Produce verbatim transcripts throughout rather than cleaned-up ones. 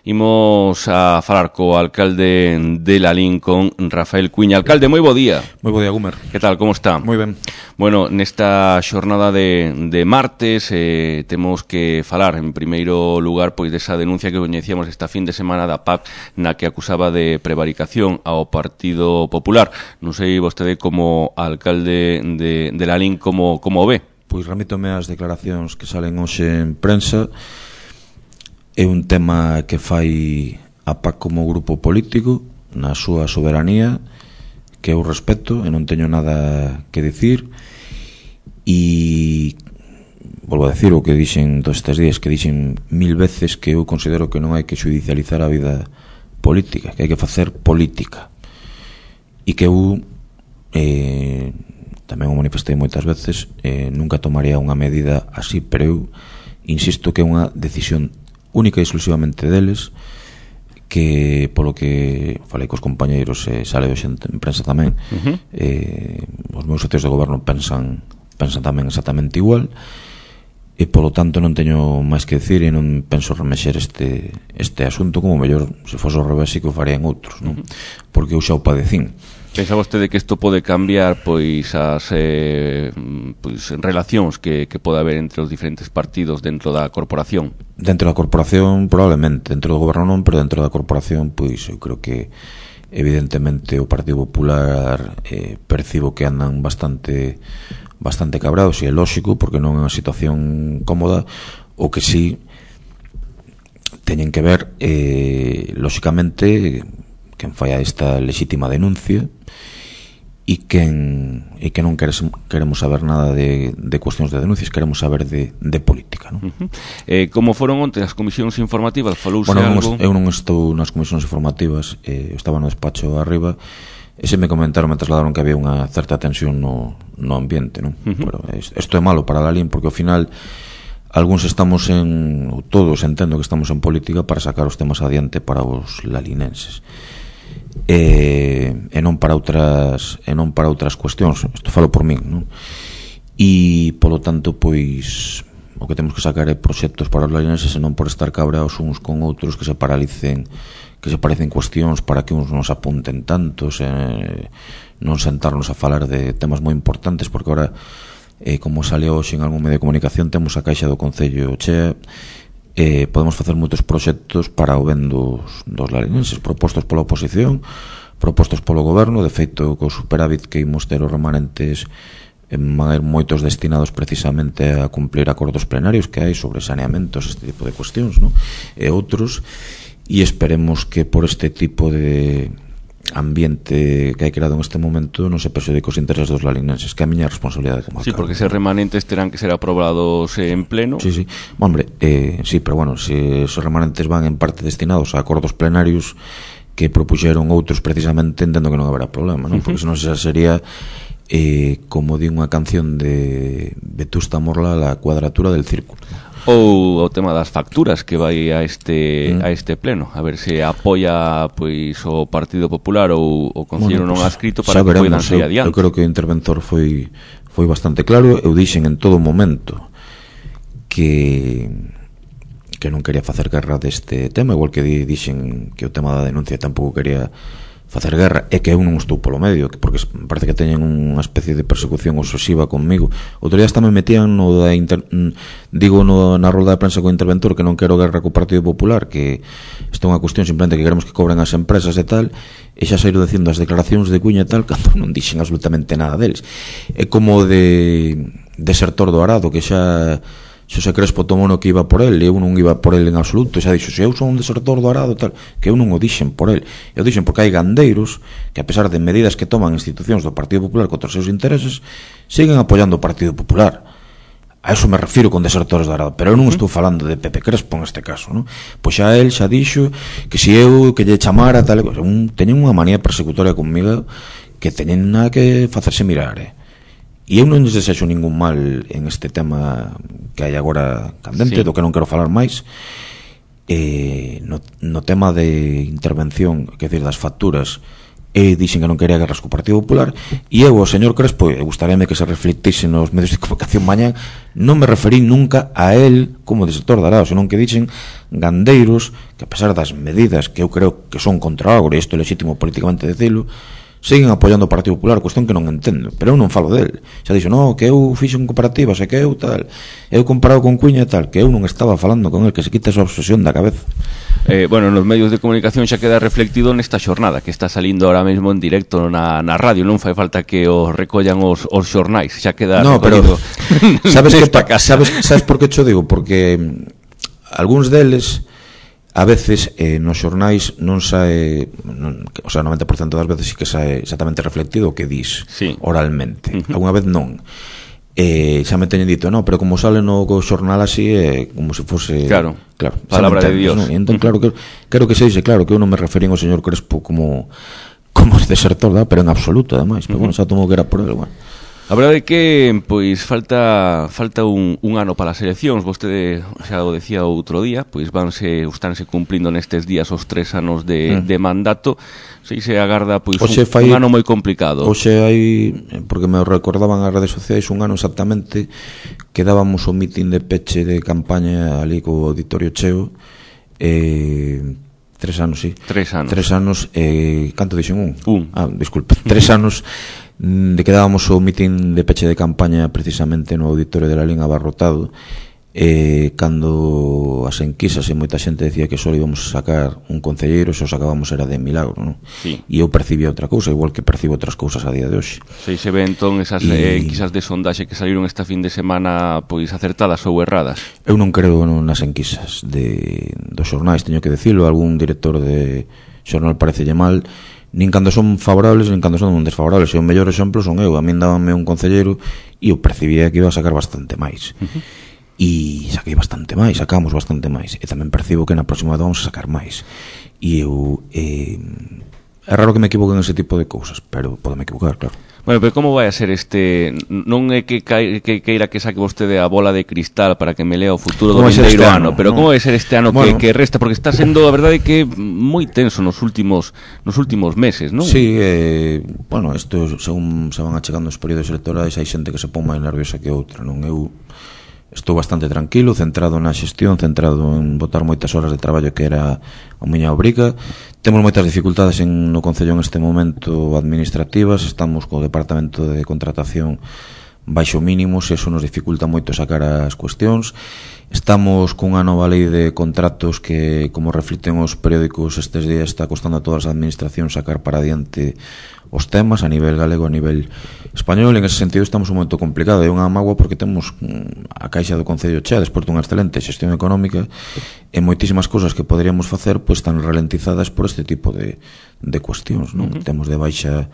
Imos a falar co alcalde de Lalín, con Rafael Cuiña. Alcalde, moi bo día. Moi bo día, Gumer. Que tal, como está? Moi ben. Bueno, nesta xornada de, de martes eh, temos que falar, en primeiro lugar, pois desa denuncia que coñecíamos esta fin de semana da P A C, na que acusaba de prevaricación ao Partido Popular. Non sei vostede como alcalde de, de Lalín como, como ve. Pois remítome as declaracións que salen hoxe en prensa. É un tema que fai a P A C como grupo político na súa soberanía, que eu respeto e non teño nada que dicir. E volvo a decir o que dixen todos estes días, que dixen mil veces, que eu considero que non hai que judicializar a vida política, que hai que facer política, e que eu eh, tamén o manifestei moitas veces, eh, nunca tomaría unha medida así, pero eu insisto que é unha decisión única e exclusivamente deles, que polo que falei cos compañeiros, eh, sale hoxe en prensa tamén, uh-huh. eh, os meus socios de goberno pensan pensan tamén exactamente igual, e polo tanto non teño máis que decir, e non penso remexer este este asunto, como mellor se fose ao revés e que o farían outros, non? Uh-huh. Porque eu xa o padecín. Pensa vostede que isto pode cambiar pois as eh, pois, relacións que, que pode haber entre os diferentes partidos dentro da corporación? Dentro da corporación probablemente, dentro do goberno non, pero dentro da corporación pois eu creo que evidentemente o Partido Popular eh, percibo que andan bastante bastante cabrados, e é lógico porque non é unha situación cómoda. O que sí teñen que ver eh, lógicamente quen fai a esta lexítima denuncia, e quen e que non queres, queremos saber nada de, de cuestións de denuncias, queremos saber de, de política, non? Uh-huh. eh, Como foron onte as comisións informativas? Falouse bueno, algo? Eu non estou nas comisións informativas, eh, estaba no despacho arriba, e se me comentaron, me trasladaron que había unha certa tensión no, no ambiente, non? Uh-huh. Pero isto é malo para Lalín, porque ao final algúns estamos en, ou todos entendo que estamos en política para sacar os temas adiante para os lalinenses, e, e non para outras e non para outras cuestións. Isto falo por min, non? E polo tanto, pois o que temos que sacar é proxectos para os lalinenses, e non por estar cabraos uns con outros, que se paralicen, que se parecen cuestións para que uns nos apunten tantos, e non sentarnos a falar de temas moi importantes, porque ahora, eh, como sale hoxe en algún medio de comunicación, temos a caixa do Concello chea. Eh, podemos facer moitos proxectos para o ben dos, dos lalinenses, propostos pola oposición, propostos polo goberno. De feito, co superávit que imos ter os remanentes, van a ir moitos destinados precisamente a cumplir acordos plenarios que hai sobre saneamentos, este tipo de cuestións, ¿no? E outros, e esperemos que por este tipo de ambiente que hai creado en este momento non se perxudique os intereses dos lalinenses, que é a miña responsabilidade como alcalde. Sí, porque eses remanentes terán que ser aprobados en pleno. Sí, sí, hombre, eh, sí, pero bueno, se esos remanentes van en parte destinados a acordos plenarios que propuxeron outros precisamente, entendo que non haberá problema, non? Porque senón xa sería eh, como di unha canción de Vetusta Morla, la cuadratura del círculo. Ou o tema das facturas que vai a este mm. a este pleno, a ver se apoia pois o Partido Popular ou o Concello bueno, non adscrito para que poidan sair adiante. Eu creo que o interventor foi foi bastante claro. Eu dixen en todo momento que que non quería facer guerra deste tema, igual que dixen que o tema da denuncia tampouco quería facer guerra, e que eu non estou polo medio, porque parece que teñen unha especie de persecución obsesiva conmigo. Outro día hasta me metían no da inter... digo no, na rolda de prensa co interventor que non quero guerra co Partido Popular, que isto é unha cuestión simplemente que queremos que cobren as empresas e tal, e xa saíro dicindo as declaracións de Cuña e tal, cando non dixen absolutamente nada deles. É como de desertor do Arado, que xa Xosé Crespo tomou no que iba por el, e eu non iba por el en absoluto, e xa dixo, se eu son un desertor do Arado tal, que eu non o dixen por el, eu dixen porque hai gandeiros que, a pesar de medidas que toman institucións do Partido Popular contra os seus intereses, siguen apoiando o Partido Popular. A eso me refiro con desertores do Arado, pero eu non estou falando de Pepe Crespo en este caso, non? Pois xa el xa dixo que se eu que lle chamara tal, un, teñen unha manía persecutoria comigo que teñen nada que facerse mirar, eh? E eu non lles desexo ningún mal en este tema que hai agora candente, sí, do que non quero falar máis. Eh, no, no tema de intervención, que decir, das facturas, e dixen que non quería guerras co Partido Popular, e eu, o señor Crespo, e gustaríame que se reflectise nos medios de comunicación mañá, non me referí nunca a él como de sector de Arao, senón que dixen gandeiros que, a pesar das medidas que eu creo que son contra o agro, e isto é legítimo políticamente decilo, siguen apoiando o Partido Popular, cuestión que non entendo, pero eu non falo del. Xa dixo, no, que eu fixo en cooperativas, e que eu tal, eu comparado con Cuña e tal, que eu non estaba falando con el, que se quita esa obsesión da cabeza. Eh, bueno, nos medios de comunicación xa queda reflectido nesta xornada que está salindo ahora mesmo en directo na, na radio, non fai falta que os recollan os, os xornais, xa queda no, recollido. Pero sabes que sabes, sabes por que cho digo? Porque algúns deles a veces eh, nos xornais non sae, non, o sea, noventa por cento das veces sí que sae exactamente reflectido o que dis sí. oralmente. Uh-huh. Alguna vez non. Eh, xa me teñen dito, no, pero como sale no xornal así, é eh, como se fose, claro, claro, palabra de Dios. ¿no? E entón, claro, que, quero que se dice, claro, que eu non me referín ao señor Crespo como como desertor, ¿da? Pero en absoluto, ademais, pero uh-huh. bueno, xa tomo que era por el, bueno. A verdade é que, pois, falta falta un, un ano para as eleccións. Vostede xa o decía outro día, pois vanse, estánse cumplindo nestes días os tres anos de, mm. de mandato. Se se agarda, pois, un, fai, un ano moi complicado. Oxe hai, porque me recordaban as redes sociais, un ano exactamente que dábamos o mitin de peche de campaña ali co auditorio cheo, eh... Tres anos, sí. Tres anos. Tres anos, eh, canto dixen un? Un. Ah, disculpe. Tres anos de que dábamos o mitin de peche de campaña precisamente no auditorio de la Lín abarrotado, eh, cando as enquisas e moita xente decía que só íbamos a sacar un concelleiro, se o sacábamos era de milagro, non? Sí. E eu percibía outra cousa, igual que percibo outras cousas a día de hoxe. Se se ve entón esas y... eh, enquisas de sondaxe que saliron esta fin de semana, pois acertadas ou erradas? Eu non creo nas enquisas de, dos xornais, teño que decirlo, algún director de xornal parecelle mal, nin cando son favorables, nin cando son desfavorables. E o mellor exemplo son eu, a min dábame un concelleiro e eu percibía que iba a sacar bastante máis. Uh-huh. E saquei bastante máis, sacamos bastante máis. E tamén percibo que na próxima vez vamos a sacar máis. E eu... Eh, é raro que me equivoque en ese tipo de cousas, pero podeme equivocar, claro. Bueno, pero como vai a ser este... Non é que, que, que queira que saque vostede a bola de cristal para que me lea o futuro do vindeiro este ano, ano, pero no. Como vai ser este ano bueno. que, que resta? Porque está sendo, a verdade, que moi tenso nos últimos nos últimos meses, non? Sí, eh, bueno, isto, según se van achegando os períodos electorais, hai xente que se pon máis nerviosa que outra, non? Eu estou bastante tranquilo, centrado na xestión, centrado en botar moitas horas de traballo que era a miña obriga. Temos moitas dificultades en, no Concello en este momento administrativas, estamos co Departamento de Contratación baixo mínimos, e eso nos dificulta moito sacar as cuestións. Estamos cunha nova lei de contratos que, como reflicten os periódicos estes días, está costando a todas as administracións sacar para adiante os temas a nivel galego, a nivel español. En ese sentido estamos un momento complicado, é unha mágoa porque temos a caixa do Concello chea despois dunha excelente xestión económica, e moitísimas cousas que poderíamos facer pois están ralentizadas por este tipo de, de cuestións, non? Uh-huh. Temos de baixa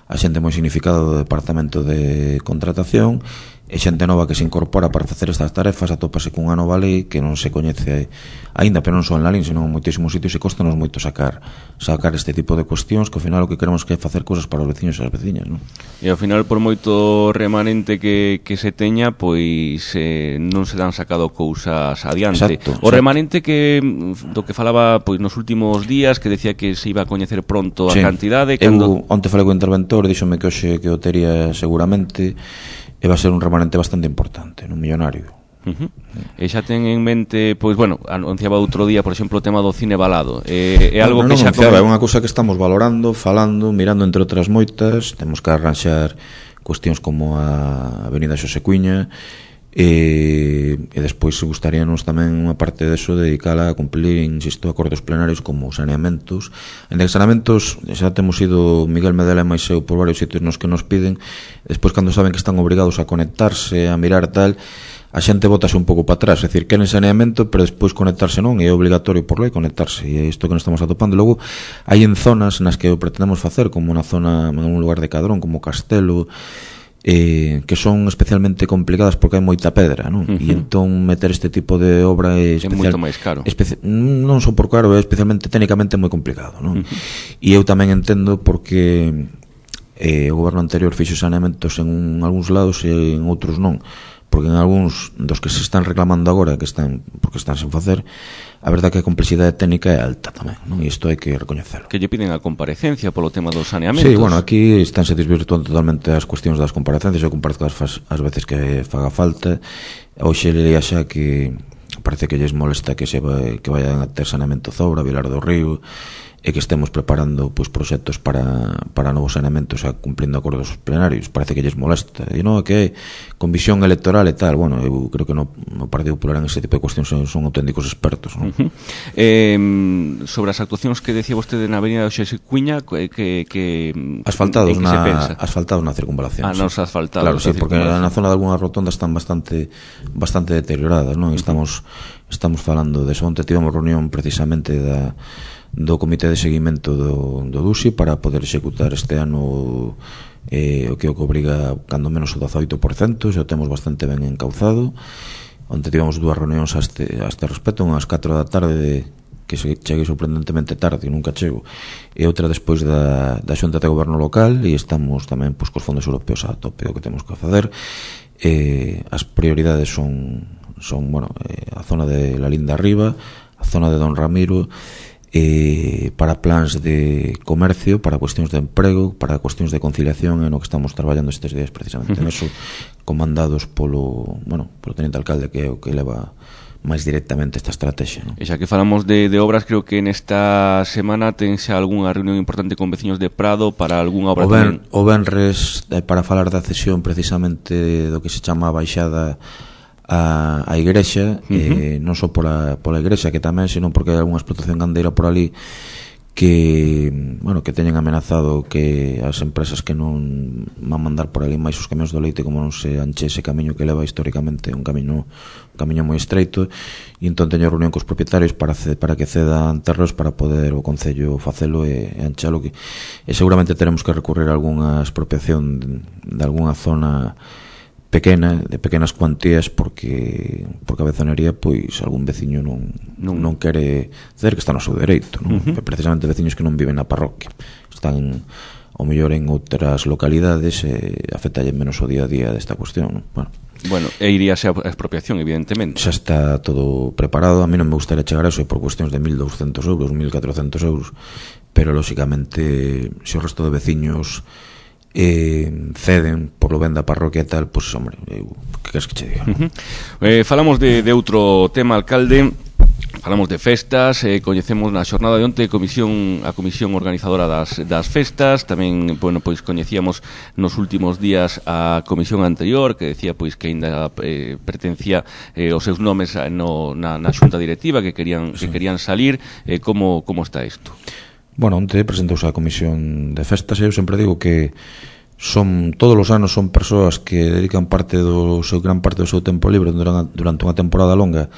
a xente moi significada do Departamento de Contratación, e xente nova que se incorpora para facer estas tarefas atópase cunha nova lei que non se coñece aínda, pero non só en Lalín, senón en moitísimos sitios, e costanos moito sacar sacar este tipo de cuestións, que ao final o que queremos que é facer cousas para os veciños e as veciñas, non? E ao final, por moito remanente que, que se teña, pois eh, non se dan sacado cousas adiante. Exacto, o exacto. Remanente que do que falaba pois nos últimos días, que decía que se iba a coñecer pronto a sí. cantidade cando... Eu onte falei co interventor, díxome que hoxe que o tería seguramente, e va a ser un remanente bastante importante, un millonario. Uh-huh. E xa ten en mente, pois, bueno, anunciaba outro día, por exemplo, o tema do cine balado. É, é algo no, no, que xa... Anunciaba, é unha cousa que estamos valorando, falando, mirando entre outras moitas. Temos que arranxar cuestións como a Avenida Xosé Cuiña, e, e despois gustaríanos tamén unha parte deso dedicala a cumplir, insisto, acordos plenarios como saneamentos. En saneamentos xa temos ido Miguel Medela e máis eu por varios sitios nos que nos piden, despois cando saben que están obrigados a conectarse, a mirar tal, a xente botase un pouco para atrás, é dicir, queren saneamento, pero despois conectarse non, e é obligatorio por lei conectarse, e é isto que nos estamos atopando. Logo, hai en zonas nas que o pretendemos facer, como na zona, en un lugar de Cadrón, como Castelo, Eh, que son especialmente complicadas porque hai moita pedra, non? Uh-huh. E entón meter este tipo de obra é, especial, é moito máis caro. Especi- non só por caro, é especialmente técnicamente moi complicado, non? Uh-huh. E eu tamén entendo porque eh, o goberno anterior fixo saneamentos en un, algúns lados e en outros non, porque en algúns dos que se están reclamando agora, que están porque están sen facer, a verdade que a complexidade técnica é alta tamén, non? E isto hai que recoñecelo. Que lle piden a comparecencia polo tema dos saneamentos. Sí, bueno, aquí estánse desvirtuando totalmente as cuestións das comparecencias. Eu comparto as, as veces que faga falta. Hoxe leía xa que parece que lles molesta que se vai, que vayan a ter saneamento Zobra, Vilar do Río, e que estemos preparando pois proxectos para, para novos saneamentos a cumplindo acordos plenarios. Parece que lles molesta. E non, que con visión electoral e tal. Bueno, eu creo que no, no Partido Popular en ese tipo de cuestións son, son auténticos expertos, non? Uh-huh. eh, sobre as actuacións que decía vostede na avenida de Xese Cuiña, que, que asfaltados na asfaltados na circunvalación. Ah, sí. Nos asfaltados. Claro, sí, porque na zona de algunhas rotondas están bastante bastante deterioradas, non? Uh-huh. Estamos estamos falando de eso. Onte tivemos reunión precisamente da do Comité de Seguimento do, do D U S I para poder executar este ano eh, o que o que obriga cando menos o dezaoito por cento, xa o temos bastante ben encauzado. Onte tivemos dúas reunións a este, a este respecto, unhas catro da tarde de, que se chegue sorprendentemente tarde e nunca chego, e outra despois da, da Xunta de Goberno Local, e estamos tamén pois, cos fondos europeos a tope o que temos que facer. Eh, as prioridades son, son bueno, eh, a zona de La Linda Arriba, a zona de Don Ramiro, eh, para plans de comercio, para cuestións de emprego, para cuestións de conciliación, en o que estamos traballando estes días precisamente uh-huh. en eso, comandados polo, bueno, polo teniente alcalde, que é o que leva máis directamente esta estrategia, ¿no? E xa que falamos de, de obras, creo que nesta semana tense algunha reunión importante con veciños de Prado para algunha obra o ben, tamén. O Benres, eh, para falar da cesión precisamente do que se chama a baixada a, a igrexa, uh-huh. eh, non só pola, pola igrexa, que tamén, senón porque hai algunha explotación gandeira por ali que, bueno, que teñen amenazado que as empresas que non van mandar por ali máis os camións do leite, como non se anche ese camiño que leva históricamente un camiño un camiño moi estreito, e entón teño reunión cos propietarios para, para que cedan terros para poder o Concello facelo e, e anchalo, que, e seguramente teremos que recurrir a algunha expropiación de, de algunha zona pequena, de pequenas cuantías, porque porque a bezonería, pois algún veciño non non, non quere dizer que está no seu dereito, non? Uh-huh. Precisamente veciños que non viven na parroquia, están ao mellor en outras localidades e afectalle menos o día a día desta cuestión, non? Bueno, bueno, e iríase a expropiación, evidentemente. Xa está todo preparado. A mí non me gustaría chegar a eso por cuestións de mil douscentos euros, mil catrocentos euros, pero lóxicamente se o resto de veciños eh, ceden por lo ben da parroquia e tal, pois, pues, hombre, eu, que queres que che diga? Uh-huh. eh, falamos de, de outro tema, alcalde. Falamos de festas, eh, coñecemos na xornada de onte comisión, a comisión organizadora das, das festas. Tamén, bueno, pois coñecíamos nos últimos días a comisión anterior, que decía pois que aínda eh, pertencía eh, os seus nomes no, na, na xunta directiva, que querían, sí. que querían salir. eh, como, como está isto? Bueno, onte presentouse a comisión de festas, e eu sempre digo que son todos os anos son persoas que dedican parte do seu gran parte do seu tempo libre durante, durante unha temporada longa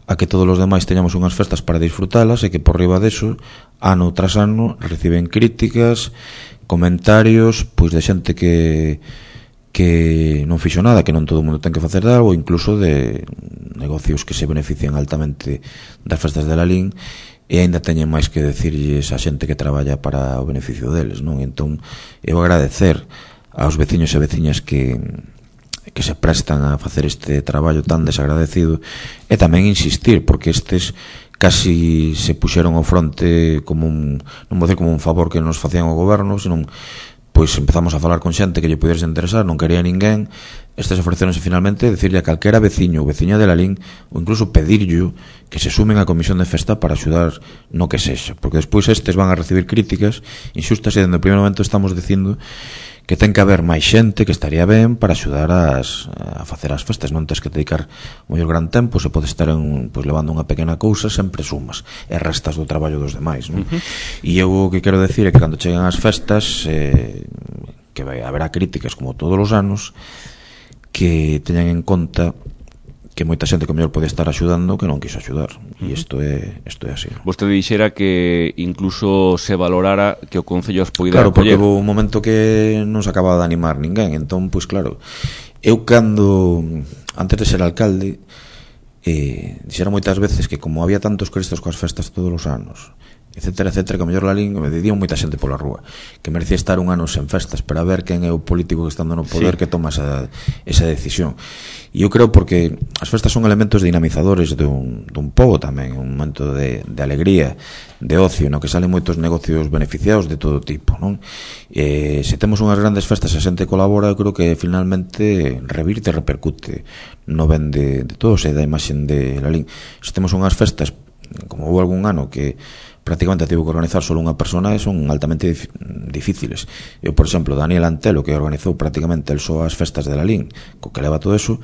a que todos os demais teñamos unhas festas para disfrutalas, e que por riba deso, ano tras ano, reciben críticas, comentarios, pois de xente que que non fixo nada, que non todo o mundo ten que facer algo, incluso de negocios que se benefician altamente das festas de Lalín, e aínda teñen máis que decirlles a xente que traballa para o beneficio deles, non? Entón, eu agradecer aos veciños e veciñas que que se prestan a facer este traballo tan desagradecido, e tamén insistir, porque estes casi se puxeron ao fronte como un, non vou dizer como un favor que nos facían o goberno, senón pois empezamos a falar con xente que lle pudese interesar, non quería ninguén. Estes ofreceronse finalmente decirle a calquera veciño ou veciña de Lalín, ou incluso pedirllo que se sumen á comisión de festa para axudar no que sexa, porque despois estes van a recibir críticas inxustas, e dende o primeiro momento estamos dicindo que ten que haber máis xente que estaría ben para axudar as, a facer as festas. Non tens que dedicar o mellor gran tempo, se pode estar en, pois, levando unha pequena cousa, sempre sumas e restas do traballo dos demais, non? Uh-huh. E eu o que quero decir é que cando cheguen as festas, eh, que vai, haberá críticas como todos os anos, que teñan en conta que moita xente que mellor pode estar axudando que non quiso axudar, e isto é isto é así. Vostede dixera que incluso se valorara que o Concello as poida Claro, porque acoller. houve un momento que non se acababa de animar ninguén, entón, pois claro, eu cando antes de ser alcalde eh, dixera moitas veces que como había tantos cristos coas festas todos os anos, etcétera, etcétera, que a mellor Lalín me dicían moita xente pola rúa que merecía estar un ano sen festas para ver quen é o político que estando no poder, sí, que toma esa, esa decisión. E eu creo porque as festas son elementos dinamizadores dun, dun pobo tamén, un momento de, de alegría, de ocio, no que salen moitos negocios beneficiados de todo tipo, non? E se temos unhas grandes festas e a xente colabora, eu creo que finalmente revirte e repercute no ben de, de todos e da imaxen de Lalín. Se temos unhas festas, como houve algún ano que prácticamente tivo que organizar solo unha persona, e son altamente dif difíciles. Eu, por exemplo, Daniel Antelo, que organizou prácticamente el só as festas de Lalín, co que leva todo eso,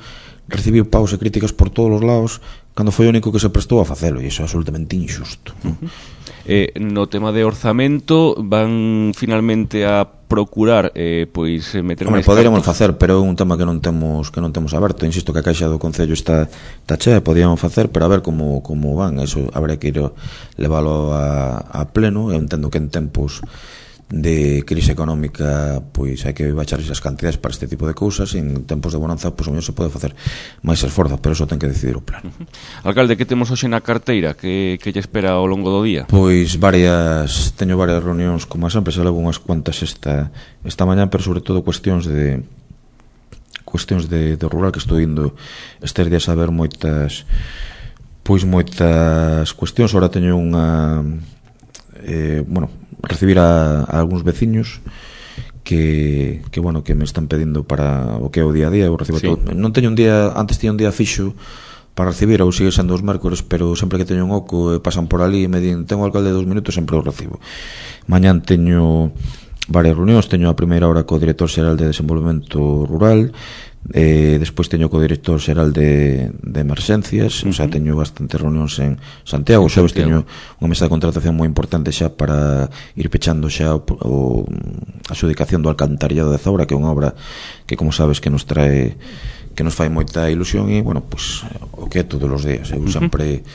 recibiu paus e críticas por todos os lados cando foi o único que se prestou a facelo, e iso é absolutamente injusto. Uh-huh. eh, no tema de orzamento, van finalmente a procurar eh, pois meter máis. Poderíamos facer, pero é un tema que non temos que non temos aberto. Insisto que a caixa do Concello está, está chea, podíamos facer, pero a ver como, como van. Eso habrá que ir leválo a, a pleno. Eu entendo que en tempos de crise económica pois hai que baixar esas cantidades para este tipo de cousas, e en tempos de bonanza pois o mellor se pode facer máis esforzo, pero eso ten que decidir o plano. Uh-huh. Alcalde, que temos hoxe na carteira? Que, que lle espera ao longo do día? Pois varias, teño varias reunións, como sempre, se levo unhas cuantas esta, esta mañá, pero sobre todo cuestións de cuestións de, de rural, que estou indo estes días a ver moitas pois moitas cuestións. Ahora teño unha eh, bueno, recibir a, a algúns veciños que, que bueno, que me están pedindo para o que é o día a día. Eu recibo, sí, todo. Non teño un día, antes tiña un día fixo para recibir, ou sigue sendo os mércores, pero sempre que teño un oco e pasan por ali e me din, tengo o alcalde de dos minutos, sempre o recibo. Mañán teño varias reunións, teño a primeira hora co director xeral de Desenvolvemento Rural, eh, despois teño co director xeral de, de Emerxencias, uh-huh. O sea, teño bastantes reunións en Santiago. O xoves teño unha mesa de contratación moi importante xa para ir pechando xa o, o, a adxudicación do alcantarillado de Zaura, que é unha obra que, como sabes, que nos trae, que nos fai moita ilusión, e, bueno, pues, o que é todos os días. Eu uh-huh. sempre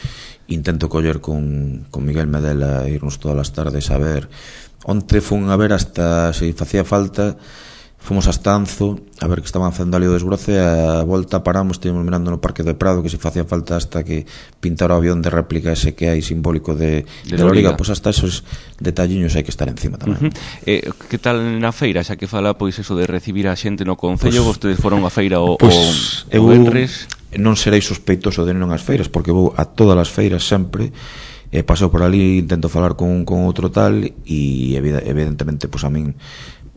intento coller con, con Miguel Medela, irnos todas as tardes a ver. Onte fun a ver hasta, se facía falta, fomos hasta Anzo a ver que estaban facendo ali o desbroce, a volta paramos, estivemos mirando no Parque do Prado, que se facía falta hasta que pintara o avión de réplica ese que hai simbólico de, de, de Loriga, pois pues hasta esos detalliños hai que estar encima tamén. Uh-huh. eh, que tal na feira, xa que fala pois eso de recibir a xente no Concello? Pues, vostedes foron a feira o, pues, o, o Benres? Non serei sospeitoso de non as feiras, porque vou a todas as feiras sempre. E paso por ali, intento falar con, con outro tal, e evidentemente, pois a min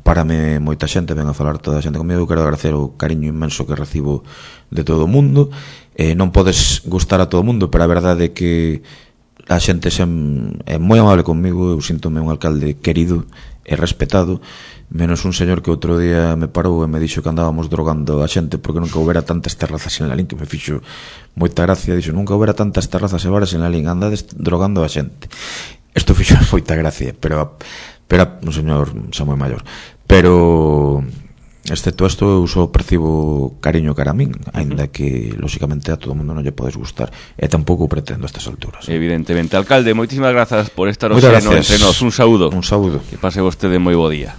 párame moita xente, ven a falar toda a xente comigo. Eu quero agradecer o cariño inmenso que recibo de todo o mundo. Eh, non podes gustar a todo o mundo, pero a verdade é que a xente sem, é moi amable comigo. Eu síntome un alcalde querido e respetado, menos un señor que outro día me parou e me dixo que andábamos drogando a xente porque nunca houbera tantas terrazas en Lalín, que me fixo moita gracia. Dixo, nunca houbera tantas terrazas e bares en Lalín, andades drogando a xente. Isto fixo moita gracia, pero pero un señor xa moi maior, pero excepto isto eu só percibo cariño cara a min, aínda que lóxicamente a todo o mundo non lle podes gustar, e tampouco pretendo a estas alturas. Evidentemente. Alcalde, moitísimas grazas por estar hoxe no Entre Nós. Un saúdo. Un saúdo. Que pase vostede moi bo día.